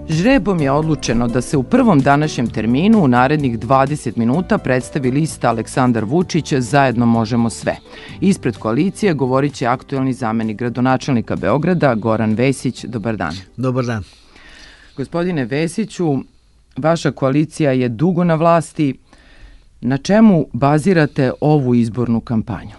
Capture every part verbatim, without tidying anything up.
Žrebom je odlučeno da se u prvom današnjem terminu u narednih dvadeset minuta predstavi lista Aleksandar Vučić Zajedno možemo sve. Ispred koalicije govorit će aktuelni zamenik gradonačelnika Beograda Goran Vesić. Dobar dan. Dobar dan. Gospodine Vesiću, vaša koalicija je dugo na vlasti. Na čemu bazirate ovu izbornu kampanju?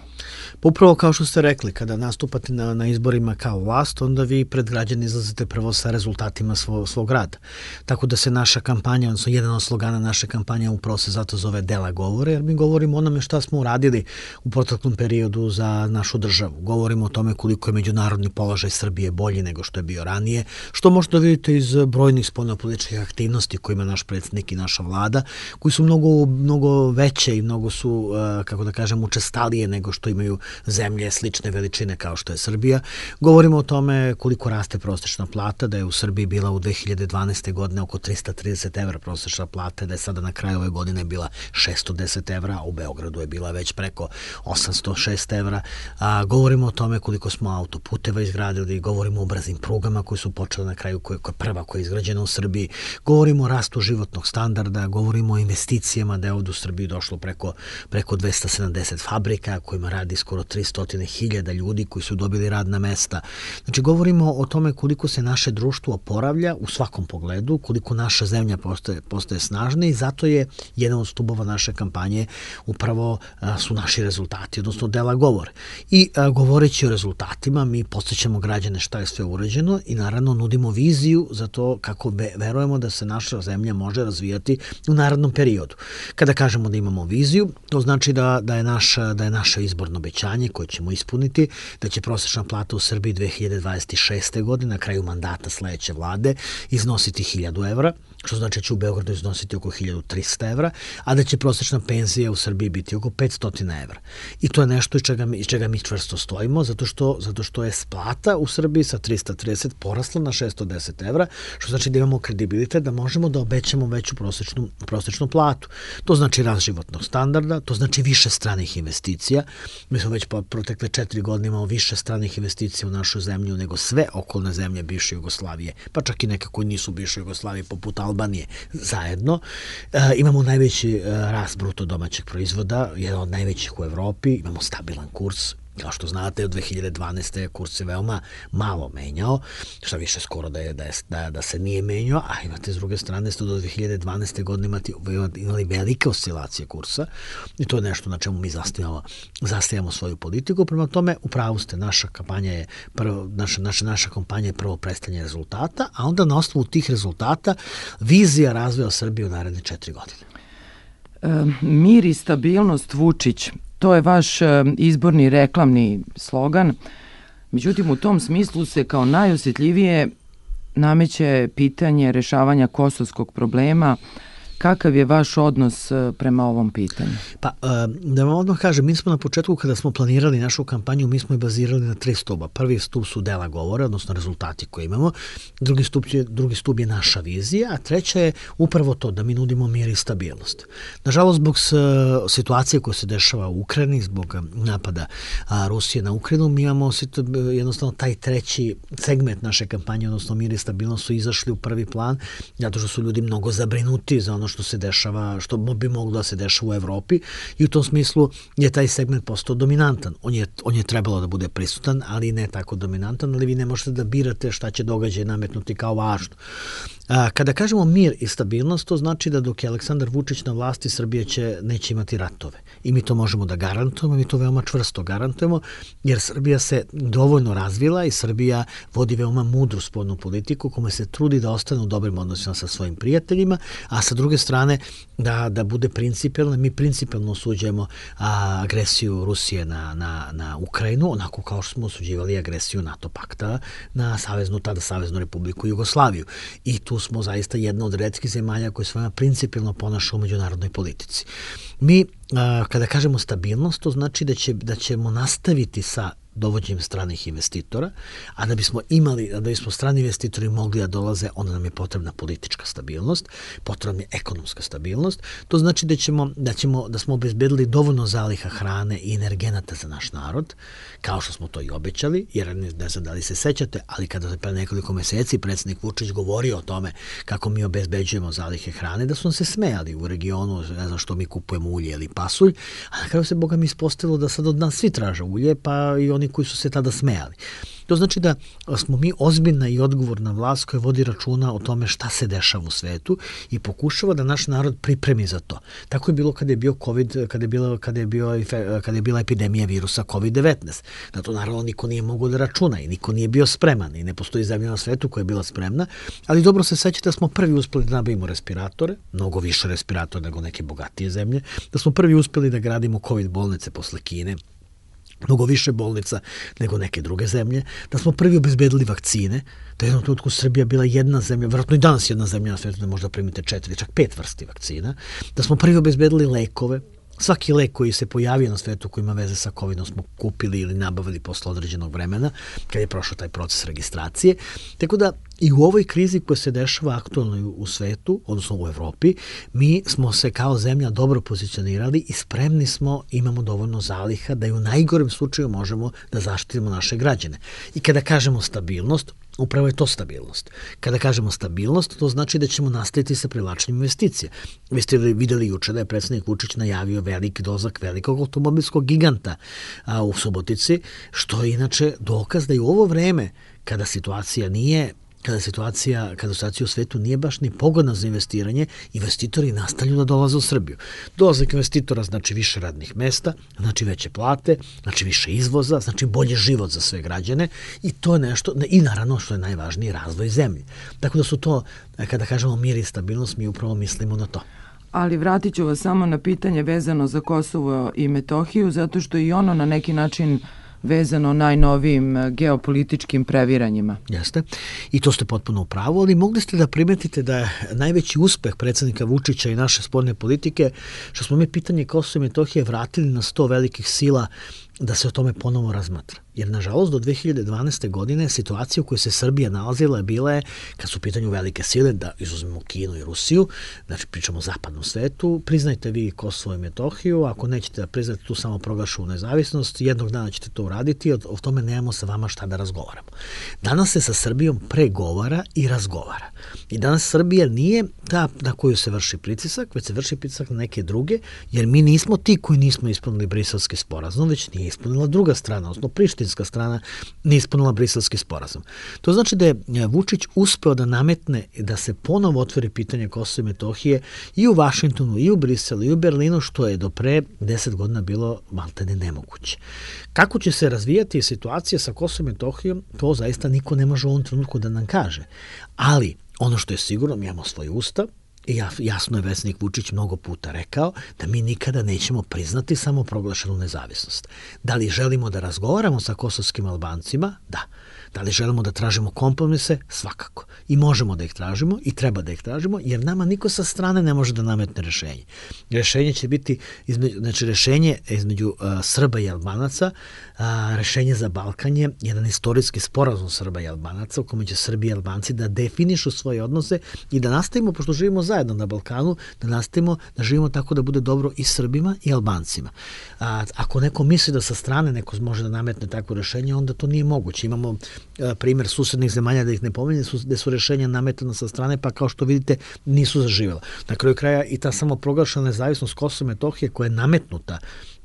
Upravo kao što ste rekli, kada nastupate na, na izborima kao vlast, onda vi pred građane izlazite prvo sa rezultatima svo, svog rada. Tako da se naša kampanja, odnosno jedan od slogana naše kampanje upravo se zato zove Dela govore, jer mi govorimo o onome šta smo uradili u proteklom periodu za našu državu. Govorimo o tome koliko je međunarodni položaj Srbije bolji nego što je bio ranije, što možete vidjeti iz brojnih spoljnopolitičkih aktivnosti koje ima naš predsjednik i naša vlada, koji su mnogo, mnogo veće i mnogo su, kako da kažem, učestalije nego što imaju zemlje slične veličine kao što je Srbija. Govorimo o tome koliko raste prosečna plata, da je u Srbiji bila u dve hiljade dvanaeste. godine oko trista trideset evra prosečna plata, da je sada na kraju ove godine bila šesto deset evra, a u Beogradu je bila već preko osamsto šest evra. A, govorimo o tome koliko smo autoputeva izgradili, govorimo o brzim prugama koji su počeli na kraju, koja je prva koja je izgrađena u Srbiji. Govorimo o rastu životnog standarda, govorimo o investicijama, da je ovdje u Srbiji došlo preko, preko dvesta sedamdeset fabrika kojima radi skoro tristo hiljada ljudi koji su dobili radna mesta. Znači, govorimo o tome koliko se naše društvo oporavlja u svakom pogledu, koliko naša zemlja postaje, postaje snažna i zato je jedan od stubova naše kampanje upravo a, su naši rezultati, odnosno dela govore. I a, govoreći o rezultatima, mi podsjećamo građane šta je sve urađeno i naravno nudimo viziju za to kako be, verujemo da se naša zemlja može razvijati u narednom periodu. Kada kažemo da imamo viziju, to znači da, da, je, naša, da je naše izborno obećanje koje ćemo ispuniti, da će prosječna plata u Srbiji dve hiljade dvadeset šeste. godine na kraju mandata sledeće vlade iznositi hiljadu evra, što znači da će u Beogradu iznositi oko hiljadu trista evra, a da će prosječna penzija u Srbiji biti oko petsto evra. I to je nešto iz čega mi, iz čega mi čvrsto stojimo, zato što, zato što je plata u Srbiji sa trista trideset porasla na šesto deset evra, što znači da imamo kredibilitet da možemo da obećamo veću prosječnu, prosječnu platu. To znači rast životnog standarda, to znači više stranih investicija. Mi smo već po protekle četiri godine imamo više stranih investicija u našu zemlju nego sve okolne zemlje bivše Jugoslavije, pa čak i neke koji nisu bivše Jugoslavije, poput Albanije, zajedno. E, imamo najveći e, rast bruto domaćeg proizvoda, jedan od najvećih u Evropi, imamo stabilan kurs. Kao što znate, od dve hiljade dvanaeste. kurs se veoma malo menjao, što više skoro da, je, da, je, da, da se nije menjao, a imate s druge strane ste do dve hiljade dvanaeste. godine imati, imali velike oscilacije kursa i to je nešto na čemu mi zastavljamo, zastavljamo svoju politiku. Prema tome, u pravu ste, naša kampanja je prvo, naša, naša, naša kampanja je prvo predstavljanje rezultata, a onda na osnovu tih rezultata vizija razvoja Srbije u naredne četiri godine. E, mir i stabilnost Vučić. To je vaš izborni reklamni slogan. Međutim, u tom smislu se kao najosjetljivije nameće pitanje rešavanja kosovskog problema. Kakav je vaš odnos prema ovom pitanju? Pa, da vam odmah kažem, mi smo na početku kada smo planirali našu kampanju, mi smo je bazirali na tri stuba. Prvi stub su dela govore, odnosno rezultati koje imamo. Drugi stub je, drugi stub je naša vizija, a treća je upravo to da mi nudimo mir i stabilnost. Nažalost, zbog situacije koja se dešava u Ukrajini, zbog napada Rusije na Ukrajinu, mi imamo jednostavno taj treći segment naše kampanje, odnosno mir i stabilnost, su izašli u prvi plan, zato što su ljudi mnogo zabrinuti za ono što se dešava, što bi moglo da se dešava u Evropi i u tom smislu je taj segment postao dominantan. On je, on je trebalo da bude prisutan, ali ne tako dominantan, ali vi ne možete da birate šta će događaj nametnuti kao važno. A, kada kažemo mir i stabilnost, to znači da dok je Aleksandar Vučić na vlasti, Srbija će, neće imati ratove. I mi to možemo da garantujemo, mi to veoma čvrsto garantujemo, jer Srbija se dovoljno razvila i Srbija vodi veoma mudru spoljnu politiku kome se trudi da ostane u dobrim odnosima sa svojim prijateljima, a sa druge strane da, da bude principijelna. Mi principijelno osuđujemo a, agresiju Rusije na, na, na Ukrajinu, onako kao što smo osuđivali agresiju NATO pakta na saveznu, tada Saveznu Republiku Jugoslaviju. I tu smo zaista jedna od retkih zemalja koje se principijelno ponaša u međunarodnoj politici. Mi, a, kada kažemo stabilnost, to znači da, će, da ćemo nastaviti sa dovođenjem stranih investitora, a da bismo imali, da bismo strani investitori mogli da dolaze, onda nam je potrebna politička stabilnost, potrebna je ekonomska stabilnost. To znači da ćemo, da ćemo, da smo obezbedili dovoljno zaliha hrane i energenata za naš narod, kao što smo to i obećali, jer ne, ne znam da li se sećate, ali kada je pre nekoliko meseci predsjednik Vučić govorio o tome kako mi obezbeđujemo zalihe hrane, da su nam se smejali u regionu, ne znam što mi kupujemo ulje ili pasulj, a na kraju se Boga mi ispostavilo da sad od nas svi traže ulje, pa i oni koji su se tada smejali. To znači da smo mi ozbiljna i odgovorna vlast koja vodi računa o tome šta se dešava u svetu i pokušava da naš narod pripremi za to. Tako je bilo kada je bio COVID, kada je bila, kada je bio, kada je bila epidemija virusa kovid devetnaest. Na to naravno niko nije mogao da računa i niko nije bio spreman i ne postoji zemlja na svetu koja je bila spremna, ali dobro se sećate da smo prvi uspeli da nabavimo respiratore, mnogo više respiratora nego neke bogatije zemlje, da smo prvi uspeli da gradimo COVID bolnice posle Kine, mnogo više bolnica nego neke druge zemlje, da smo prvi obezbedili vakcine, da je jednom trenutku Srbija bila jedna zemlja, vjerojatno i danas jedna zemlja na svetu da možda primite četiri, čak pet vrsti vakcina, da smo prvi obezbedili lekove. Svaki lek koji se pojavio na svetu koji ima veze sa covidom smo kupili ili nabavili posle određenog vremena, kad je prošao taj proces registracije. Tako da i u ovoj krizi koja se dešava aktualno u svetu, odnosno u Evropi, mi smo se kao zemlja dobro pozicionirali i spremni smo, imamo dovoljno zaliha da i u najgorem slučaju možemo da zaštitimo naše građane. I kada kažemo stabilnost, upravo je to stabilnost. Kada kažemo stabilnost, to znači da ćemo nastaviti sa privlačenjem investicija. Vi ste videli juče da je predsjednik Vučić najavio veliki dolazak velikog automobilskog giganta a, u Subotici, što je inače dokaz da i u ovo vreme, kada situacija nije kada situacija, kada situacija u svetu nije baš ni pogodna za investiranje, investitori nastavljaju da dolaze u Srbiju. Dolazak investitora znači više radnih mesta, znači veće plate, znači više izvoza, znači bolji život za sve građane i to je nešto, i naravno što je najvažnije, razvoj zemlje. Tako da su to, kada kažemo mir i stabilnost, mi upravo mislimo na to. Ali vratit ću vas samo na pitanje vezano za Kosovo i Metohiju, zato što i ono na neki način vezano najnovijim geopolitičkim previranjima. Jeste. I to ste potpuno u pravu, ali mogli ste da primetite da je najveći uspeh predsjednika Vučića i naše spoljne politike, što smo mi pitanje Kosova i Metohije vratili na sto velikih sila da se o tome ponovo razmatra. Jer, nažalost, do dve hiljade dvanaeste. godine situacija u kojoj se Srbija nalazila je bila je, kad su u pitanju velike sile, da izuzmemo Kinu i Rusiju, znači pričamo o zapadnom svetu, priznajte vi Kosovo i Metohiju, ako nećete da priznate tu samo proglašenu nezavisnost, jednog dana ćete to uraditi, o, o tome nemamo sa vama šta da razgovaramo. Danas se sa Srbijom pregovara i razgovara. I danas Srbija nije ta na koju se vrši pritisak, već se vrši pritisak na neke druge, jer mi nismo ti koji nismo ispunili Briselski sporazum, već nije ispunila druga strana, odnosno prištinska strana nije ispunila Briselski sporazum. To znači da je Vučić uspeo da nametne da se ponovo otvori pitanje Kosova i Metohije i u Vašingtonu, i u Briselu, i u Berlinu, što je do pre deset godina bilo maltene nemoguće. Kako će se razvijati situacija sa Kosovom i Metohijom, to zaista niko ne može u ovom trenutku da nam kaže. Ali ono što je sigurno, mi imamo svoj ustav, i jasno je predsjednik Vučić mnogo puta rekao da mi nikada nećemo priznati samoproglašenu nezavisnost. Da li želimo da razgovaramo sa kosovskim Albancima? Da. Da li želimo da tražimo kompromise? Svakako. I možemo da ih tražimo i treba da ih tražimo, jer nama niko sa strane ne može da nametne rešenje. Rešenje će biti, između, znači rešenje između uh, Srba i Albanaca, uh, rešenje za Balkan je jedan istorijski sporazum Srba i Albanaca u kome će Srbi i Albanci da definišu svoje odnose i da nastavimo, pošto živimo zajedno na Balkanu, da nastavimo da živimo tako da bude dobro i Srbima i Albancima. A, ako neko misli da sa strane neko može da nametne takvo rešenje, onda to nije moguće. Imamo primjer susednih zemalja, da ih ne pominje, gde su rešenja nametana sa strane, pa kao što vidite nisu zaživjela. Na kraju kraja i ta samoproglašena nezavisnost Kosova i Metohije koja je nametnuta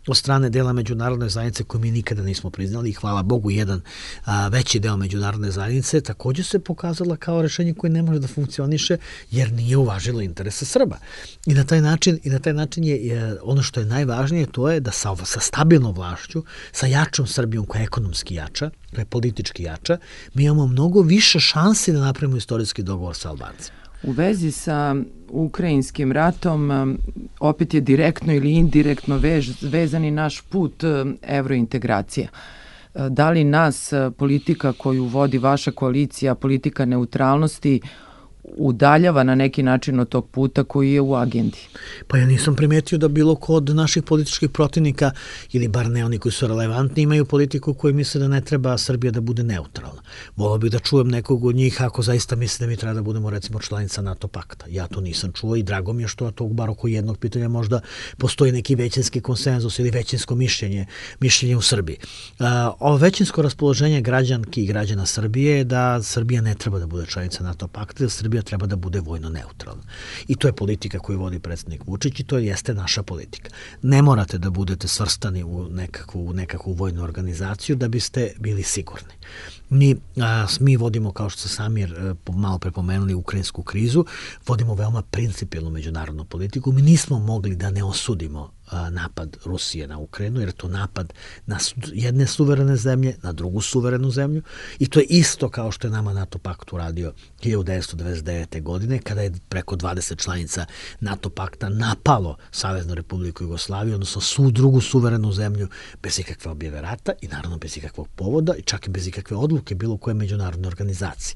od strane dela međunarodne zajednice koju mi nikada nismo priznali i hvala Bogu jedan a, veći deo međunarodne zajednice također se pokazala kao rešenje koje ne može da funkcioniše jer nije uvažilo interese Srba. I na taj način, i na taj način je, je ono što je najvažnije to je da sa, sa stabilnom vlašću, sa jačom Srbijom koja je ekonomski jača, koja je politički jača, mi imamo mnogo više šansi da napravimo istorijski dogovor sa Albancima. U vezi sa ukrajinskim ratom opet je direktno ili indirektno vež, vezani naš put evrointegracija. Da li nas politika koju vodi vaša koalicija, politika neutralnosti, udaljava na neki način od tog puta koji je u agendi. Pa ja nisam primetio da bilo ko od naših političkih protivnika, ili bar ne oni koji su relevantni, imaju politiku koji misle da ne treba Srbija da bude neutralna. Volao bih da čujem nekog od njih ako zaista misle da mi treba da budemo recimo članica NATO pakta. Ja to nisam čuo i drago mi je što to bar oko jednog pitanja možda postoji neki većinski konsenzus ili većinsko mišljenje, mišljenje u Srbiji. Uh, ovo većinsko raspoloženje građanki i građana Srbije je da Srbija ne treba da bude članica NATO pakta, da Srbija treba da bude vojno neutralna. I to je politika koju vodi predsjednik Vučić i to jeste naša politika. Ne morate da budete svrstani u nekakvu, u nekakvu vojnu organizaciju da biste bili sigurni. Mi, a, mi vodimo, kao što ste sami malo prepomenuli, ukrajinsku krizu, vodimo veoma principijelnu međunarodnu politiku. Mi nismo mogli da ne osudimo napad Rusije na Ukrajinu, jer je to napad na jedne suverene zemlje, na drugu suverenu zemlju i to je isto kao što je nama NATO pakt uradio hiljadu devetsto devedeset devete. godine, kada je preko dvadeset članica NATO pakta napalo Saveznu Republiku Jugoslaviju, odnosno svu drugu suverenu zemlju bez ikakve objave rata i naravno bez ikakvog povoda i čak i bez ikakve odluke bilo koje međunarodne organizacije.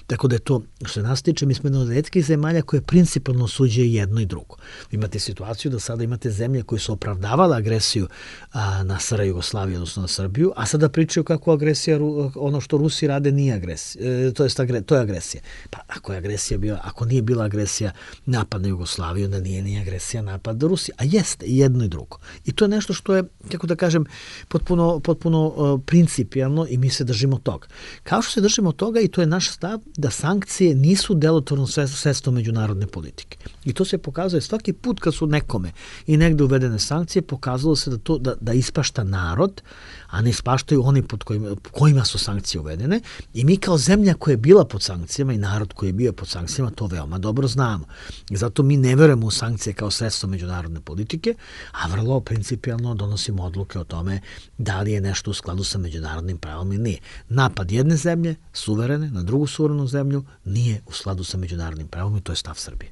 Tako da je to, što se nas tiče, mi smo jedna od retkih zemalja koje principalno osuđuje jedno i drugo. Imate situaciju da sada imate zemlje koje su opravdavala agresiju a, na S R Jugoslaviju, odnosno na Srbiju, a sada pričaju kako agresija, ono što Rusi rade nije agresija, e, to, jest, to je agresija. Pa ako je agresija bila, ako nije bila agresija napad na Jugoslaviju, onda nije ni agresija napad na Rusiju, a jeste i jedno i drugo. I to je nešto što je, kako da kažem, potpuno, potpuno uh, principijalno i mi se držimo toga. Kao što se držimo toga i to je naš stav da sankcije nisu delotvorno sredstvo međunarodne politike. I to se pokazuje svaki put kad su nekome i negde uvedene sankcije, pokazalo se da to da, da ispašta narod, a ne ispaštaju oni pod kojima, kojima su sankcije uvedene i mi kao zemlja koja je bila pod sankcijama i narod koji je bio pod sankcijama to veoma dobro znamo. I zato mi ne verujemo u sankcije kao sredstvo međunarodne politike, a vrlo principijalno donosimo odluke o tome da li je nešto u skladu sa međunarodnim pravom ili nije. Napad jedne zemlje, suverene, na drugu suverenu zemlju nije u skladu sa međunarodnim pravom i to je stav Srbije.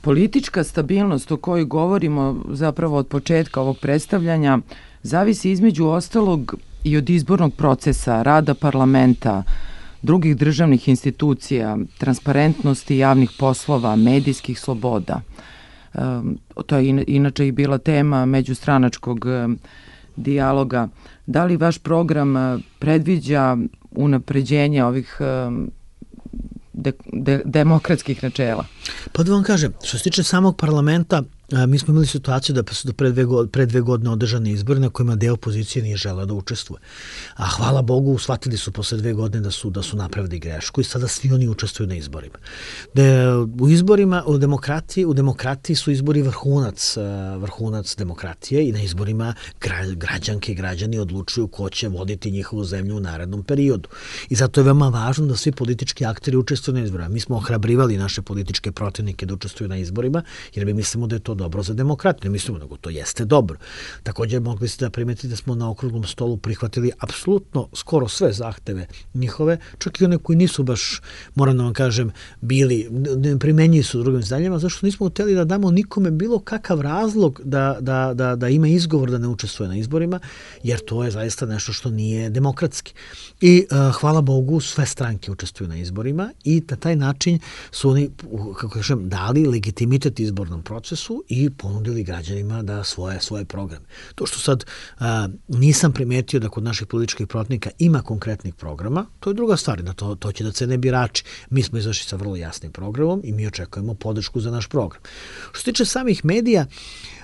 Politička stabilnost o kojoj govorimo zapravo od početka ovog predstavljanja zavisi između ostalog i od izbornog procesa, rada parlamenta, drugih državnih institucija, transparentnosti javnih poslova, medijskih sloboda. To je inače i bila tema međustranačkog dijaloga. Da li vaš program predviđa unapređenje ovih De, de, demokratskih načela? Pa da vam kažem, što se tiče samog parlamenta, mi smo imali situaciju da su pre dve, pre dve godine održane izbori na kojima deo opozicije nije želeo da učestvuje. A hvala Bogu, shvatili su posle dve godine da su, da su napravili grešku i sada svi oni učestvuju na izborima. De, u izborima, u demokratiji, u demokratiji su izbori vrhunac, vrhunac demokratije i na izborima gra, građanke i građani odlučuju ko će voditi njihovu zemlju u narednom periodu. I zato je veoma važno da svi politički akteri učestvuju na izborima. Mi smo ohrabrivali naše političke protivnike da učestvuju na izborima, jer mi mislimo da je to dobro za demokratiju, ne mislimo nego to jeste dobro. Također mogli ste da primetite da smo na okruglom stolu prihvatili apsolutno skoro sve zahteve njihove, čak i one koji nisu baš, moram da vam kažem, bili, ne primenjuju su u drugim zemljama, zašto nismo hteli da damo nikome bilo kakav razlog da, da, da, da ima izgovor da ne učestvuje na izborima, jer to je zaista nešto što nije demokratski. I uh, hvala Bogu, sve stranke učestvuju na izborima i na taj način su oni, kako kažem, dali legitimitet izbornom procesu i ponudili građanima da svoje svoje programe. To što sad a, nisam primetio da kod naših političkih protivnika ima konkretnih programa, to je druga stvar, da to, to će da cene birači. Mi smo izašli sa vrlo jasnim programom i mi očekujemo podršku za naš program. Što se tiče samih medija,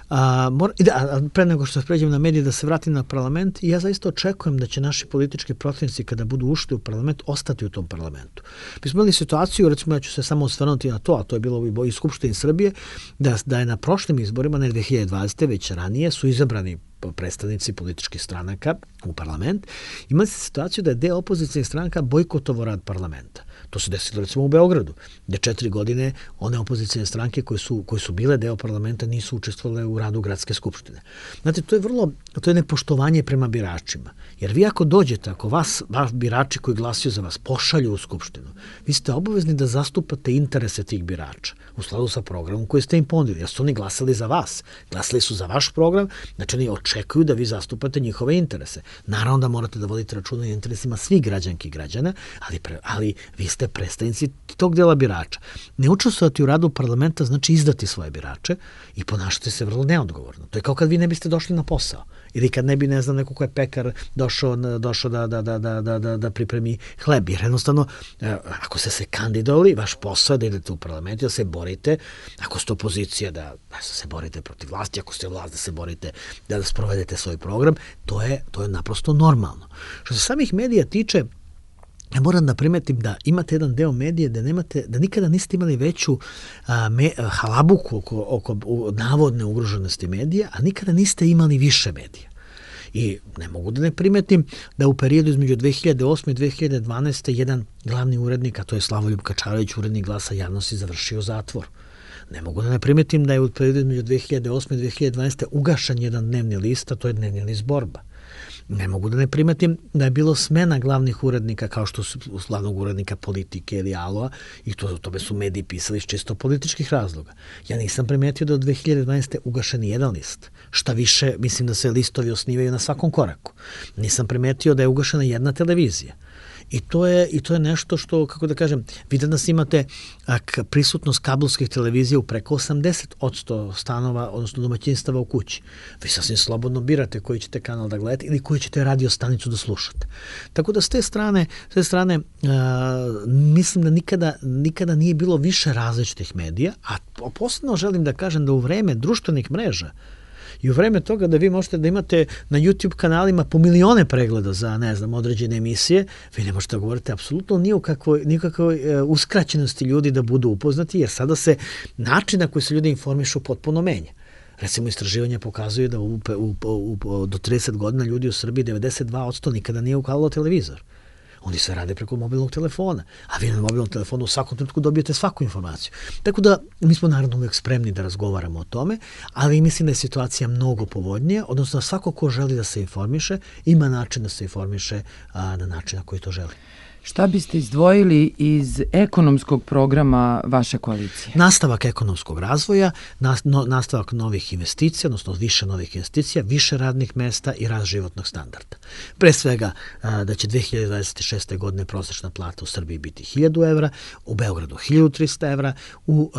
A, mora, da, pre nego što se pređem na medije, da se vratim na parlament, ja zaista očekujem da će naši politički protivnici kada budu ušli u parlament ostati u tom parlamentu. Mi smo imali situaciju, recimo ja ću se samo osvrnuti na to, a to je bilo i Skupštini Srbije, da, da je na prošlim izborima, ne dve hiljade dvadesete. već ranije, su izabrani predstavnici političkih stranaka u parlament. Imali se situaciju da je deo opozicijnih stranaka bojkotovao rad parlamenta. To se desilo recimo u Beogradu, gde četiri godine one opozicijne stranke koje su, koje su bile deo parlamenta nisu učestvovale u radu gradske skupštine. Znate, to je vrlo, to je nepoštovanje prema biračima. Jer vi ako dođete, ako vas, vaš birači koji glasaju za vas pošalju u skupštinu, vi ste obavezni da zastupate interese tih birača u skladu sa programom koji ste im ponudili. Jer su oni glasali za vas. Glasali su za vaš program, znači oni očekuju očekuju da vi zastupate njihove interese. Naravno da morate da vodite računa o interesima svih građanki i građana, ali, pre, ali vi ste predstavnici tog dela birača. Ne učestvovati u radu parlamenta znači izdati svoje birače i ponašati se vrlo neodgovorno. To je kao kad vi ne biste došli na posao. Ili kad ne bi, ne znam, neko ko je pekar došao, došao da, da, da, da, da, da, da pripremi hleb. Jer jednostavno, ako ste se kandidovali, vaš posao je da idete u parlament i da se borite, ako ste opozicija da, da se borite protiv vlasti, ako ste vlast da se borite da, da sprovedete svoj program, to je, to je naprosto normalno. Što se samih medija tiče, ja moram da primetim da imate jedan deo medije da nemate, da nikada niste imali veću a, me, halabuku oko, oko navodne ugroženosti medija, a nikada niste imali više medija. I ne mogu da ne primetim da u periodu između dve hiljade osme i dve hiljade dvanaeste jedan glavni urednik, a to je Slavoljub Kačarević, urednik Glasa javnosti, završio zatvor. Ne mogu da ne primetim da je u periodu između dve hiljade osme i dve hiljade dvanaeste ugašan jedan dnevni list, a to je dnevni list Borba. Ne mogu da ne primetim da je bilo smena glavnih urednika kao što su glavnog urednika Politike ili Aloa i to, tome su mediji pisali iz čisto političkih razloga. Ja nisam primetio da od dve hiljade dvanaeste ugašen jedan list. Šta više, mislim da se listovi osnivaju na svakom koraku. Nisam primetio da je ugašena jedna televizija. I to je, i to je nešto što, kako da kažem, vi danas imate ak, prisutnost kablovskih televizija u preko osamdeset posto stanova, odnosno domaćinstava u kući. Vi sasvim slobodno birate koji ćete kanal da gledate ili koji ćete radio stanicu da slušate. Tako da s te strane, s te strane uh, mislim da nikada, nikada nije bilo više različitih medija, a posebno želim da kažem da u vreme društvenih mreža i u vreme toga da vi možete da imate na YouTube kanalima po milione pregleda za, ne znam, određene emisije, vi ne možete da govorite apsolutno ni o kakvoj, nikakvoj uh, uskraćenosti ljudi da budu upoznati, jer sada se način na koji se ljudi informišu potpuno menja. Recimo, istraživanja pokazuju da u, u, u, u, do trideset godina ljudi u Srbiji devedeset dva posto nikada nije ukalilo televizor. Oni sve rade preko mobilnog telefona, a vi na mobilnom telefonu u svakom trenutku dobijete svaku informaciju. Tako da mi smo naravno uvijek spremni da razgovaramo o tome, ali mislim da je situacija mnogo povoljnija, odnosno svako ko želi da se informiše, ima način da se informiše a, na način na koji to želi. Šta biste izdvojili iz ekonomskog programa vaše koalicije? Nastavak ekonomskog razvoja, nastavak novih investicija, odnosno više novih investicija, više radnih mesta i rast životnog standarda. Pre svega da će dve hiljade dvadeset šeste. godine prosečna plata u Srbiji biti hiljadu evra, u Beogradu hiljadu trista evra, u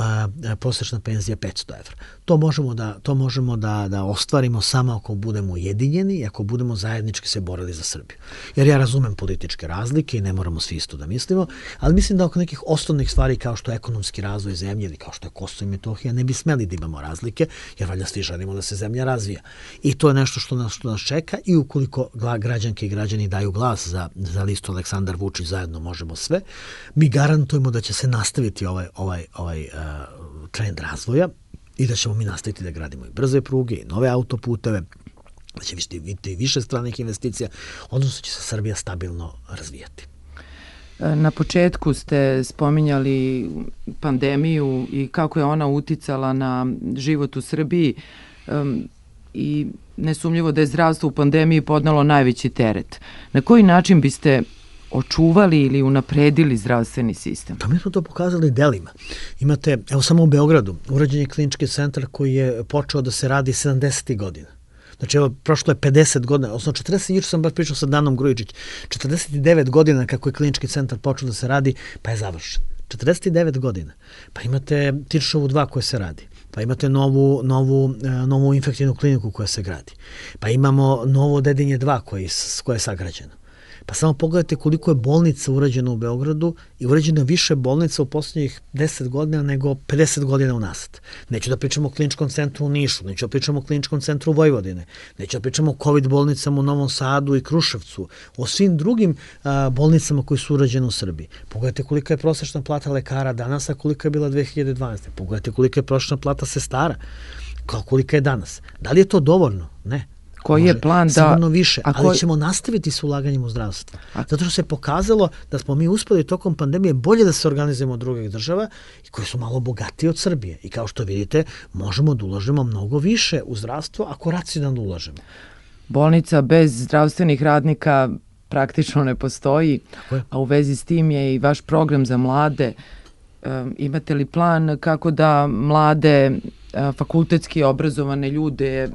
prosečna penzija petsto evra. To možemo da, to možemo da, da ostvarimo samo ako budemo ujedinjeni i ako budemo zajednički se borili za Srbiju. Jer ja razumem političke razlike i ne moramo svi isto da mislimo, ali mislim da oko nekih osnovnih stvari kao što je ekonomski razvoj zemlje ili kao što je Kosovo i Metohija ne bi smeli da imamo razlike, jer valjda svi želimo da se zemlja razvija. I to je nešto što nas, što nas čeka i ukoliko građanke i građani daju glas za, za listu Aleksandar Vučić zajedno možemo sve, mi garantujemo da će se nastaviti ovaj, ovaj, ovaj uh, trend razvoja i da ćemo mi nastaviti da gradimo i brze pruge i nove autoputeve, da će biti više stranih investicija, odnosno će se Srbija stabilno razvijati. Na početku ste spominjali pandemiju i kako je ona uticala na život u Srbiji um, i nesumnjivo da je zdravstvo u pandemiji podnelo najveći teret. Na koji način biste očuvali ili unapredili zdravstveni sistem? Pa mi smo to pokazali delima. Imate, evo samo u Beogradu, urađen je klinički centar koji je počeo da se radi sedamdesetih godina. Znači, evo, prošlo je pedeset godina, odnosno četrdeset, juče sam baš pričao sa Danom Grujičić, četrdeset devet godina kako je klinički centar počeo da se radi, pa je završen. četrdeset devet godina. Pa imate Tiršovu dva koja se radi. Pa imate novu, novu, novu infektivnu kliniku koja se gradi. Pa imamo novo Dedinje dva koje, koje je sagrađeno. Pa samo pogledajte koliko je bolnica urađeno u Beogradu i urađeno više bolnica u poslednjih deset godina nego pedeset godina unazad. Neću da pričamo o kliničkom centru u Nišu, neću da pričamo o kliničkom centru u Vojvodine, neću da pričamo o COVID bolnicama u Novom Sadu i Kruševcu, o svim drugim a, bolnicama koji su urađene u Srbiji. Pogledajte kolika je prosečna plata lekara danas, a kolika je bila dve hiljade dvanaeste. Pogledajte kolika je prosečna plata sestara, kolika je danas. Da li je to dovoljno? Ne. Koji je plan da... Sigurno više, a ali ko... ćemo nastaviti s ulaganjem u zdravstvo. A... Zato što se pokazalo da smo mi uspeli tokom pandemije bolje da se organizujemo od drugih država i koji su malo bogatiji od Srbije. I kao što vidite, možemo da ulažemo mnogo više u zdravstvo ako racionalno ulažemo. Bolnica bez zdravstvenih radnika praktično ne postoji, a u vezi s tim je i vaš program za mlade. Um, imate li plan kako da mlade, uh, fakultetski obrazovane ljude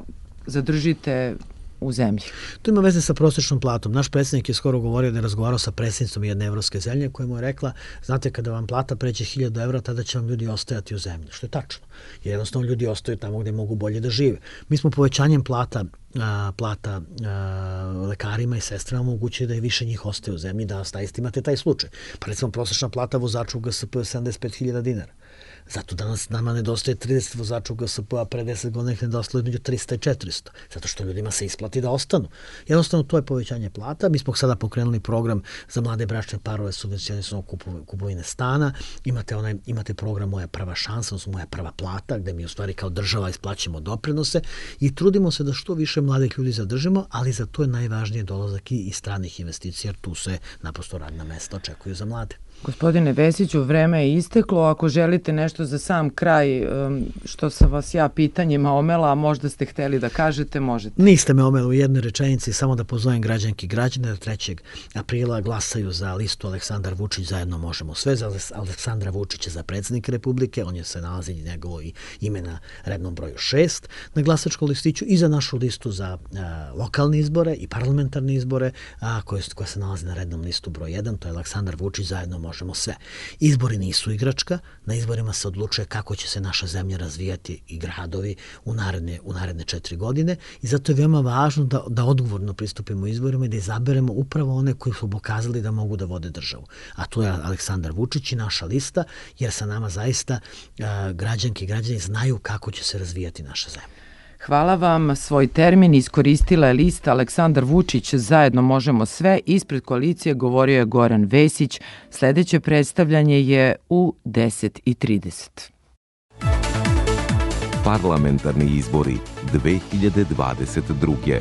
zadržite u zemlji? To ima veze sa prosječnom platom. Naš predsjednik je skoro govorio da je razgovarao sa predsjednicom jedne evropske zemlje koja mu je rekla, znate, kada vam plata pređe hiljadu evra, tada će vam ljudi ostajati u zemlji. Što je tačno. Jer jednostavno ljudi ostaju tamo gde mogu bolje da žive. Mi smo povećanjem plata A, plata a, lekarima i sestrama omogućuje da je više njih ostaje u zemlji, da zaista imate taj slučaj. Pa recimo prosječna plata vozača u G S P je sedamdeset pet hiljada dinara. Zato danas nama nedostaje trideset vozača u G S P, a pre deset godina ih nedostalo između trista i četiristo. Zato što ljudima se isplati da ostanu. Jednostavno, to je povećanje plata. Mi smo sada pokrenuli program za mlade bračne parove subvencionisano kupovine stana. Imate, onaj, imate program Moja prva šansa, odnosno Moja prva plata, gde mi u stvari kao država isplaćamo doprinose i trudimo se da što više mladih ljudi zadržimo, ali za to je najvažnije dolazak i stranih investicija, jer tu se naprosto radna mesta očekuju za mlade. Gospodine Vesiću, vreme je isteklo. Ako želite nešto za sam kraj, što sam vas ja pitanjima omela, a možda ste hteli da kažete, možete. Niste me omela u jednoj rečenici, samo da pozovem građanki i građane da trećeg aprila glasaju za listu Aleksandar Vučić, zajedno možemo sve, za Aleksandra Vučića za predsjednika Republike, on je se nalazi njegovo ime na rednom broju šest na glasačkom listiću, i za našu listu za a, lokalne izbore i parlamentarne izbore, a, koje, koje se nalazi na rednom listu broj jedan, to je Aleksandar Vučić, zajedno možemo sve. Izbori nisu igračka, na izborima se odlučuje kako će se naša zemlja razvijati i gradovi u naredne, u naredne četiri godine, i zato je veoma važno da, da odgovorno pristupimo izborima i da izaberemo upravo one koji su pokazali da mogu da vode državu. A to je Aleksandar Vučić i naša lista, jer sa nama zaista a, građanke i građani znaju kako će se razvijati naša zemlja. Hvala vam. Svoj termin iskoristila je lista Aleksandar Vučić, zajedno možemo sve. Ispred koalicije govorio je Goran Vesić. Sledeće predstavljanje je u deset i trideset. Parlamentarni izbori dve hiljade dvadeset druge.